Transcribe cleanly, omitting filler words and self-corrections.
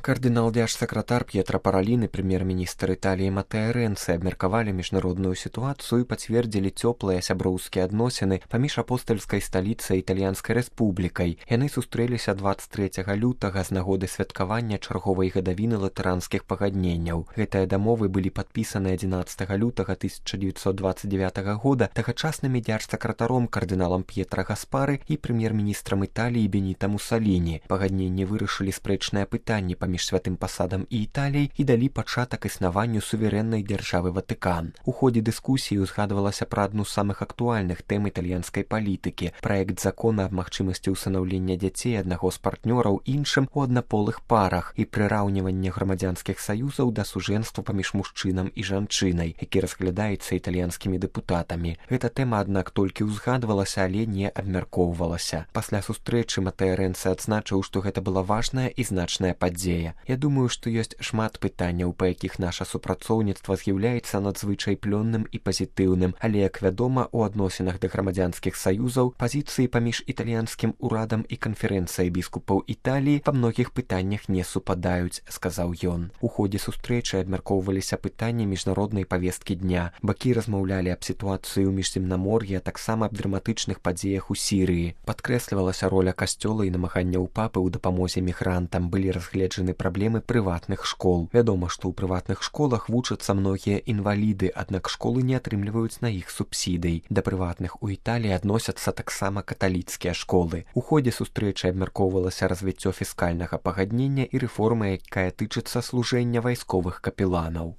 Кардынал дзяржсакратар П'етра Паралін і прэм'ер-міністр Італіі Матэа Рэнци абмеркавалі міжнародную сітуацыю і пацвердзілі цёплыя сяброўскія адносіны паміж апостальскай сталіцай і італьянскай рэспублікай. Яны сустрэліся 23 лютага з нагоды святкавання чарговай гадавіны латаранскіх пагадненняў. Гэтыя дамовы былі падпісаны 11 лютага 1929 года тагачасным дзяржсакратаром кардыналам П'етра Гаспары і прэм'ер-міністрам Італіі Беніта Мусаліні. Пагадненні вырашылі спрэчныя пытанні паміж святым пасадам і Італіяй і далі пачатак існаванню суверэннай дзяржавы Ватыкан. У ходзе дыскусіі узгадвалася пра адну з самых актуальных тэм італьянскай палітыкі – праект закона аб магчымасці ўсынаўлення дзяцей аднаго з партнёраў іншым у аднаполых парах і прыраўніванне грамадзянскіх саюзаў да сужэнства паміж мужчынам і жанчынай, які разглядаецца італьянскімі дэпутатамі. Гэта тэма, аднак, толькі ўзгадвалася, але не абмяркоўвалася. Пасля сустрэчы Матэа Рэнци адзначыў, што гэта была важная і значная падзея. Я думаю, што ёсць шмат пытанняў, па якіх наша супрацоўніцтва з'яўляецца надзвычай плённым і пазітыўным, але, як вядома, у адносінах да грамадзянскіх саюзаў пазіцыі паміж італьянскім урадам і канферэнцыяй біскупаў Італіі па многіх пытаннях не супадаюць, сказаў ён. У ходзе сустрэчы абмяркоўваліся пытанні міжнароднай павесткі дня. Бакі размаўлялі аб сітуацыі ў міжземнамор'і, а таксама аб драматычных падзеях у Сірыі. Падкрэслівалася роля касцёла і намаганняў папы ў дапамозе мігрантам. Былі разгледжаны праблемы прыватных школ. Вядома, што ў прыватных школах вучацца многія інваліды, аднак школы не атрымліваюць на іх субсідый. Да прыватных у Італіі адносяцца таксама каталіцкія школы. У ходзе сустрэчы абмяркоўвалася развіццё фіскальнага пагаднення і рэформа, якая тычыцца служэння вайсковых капеланаў.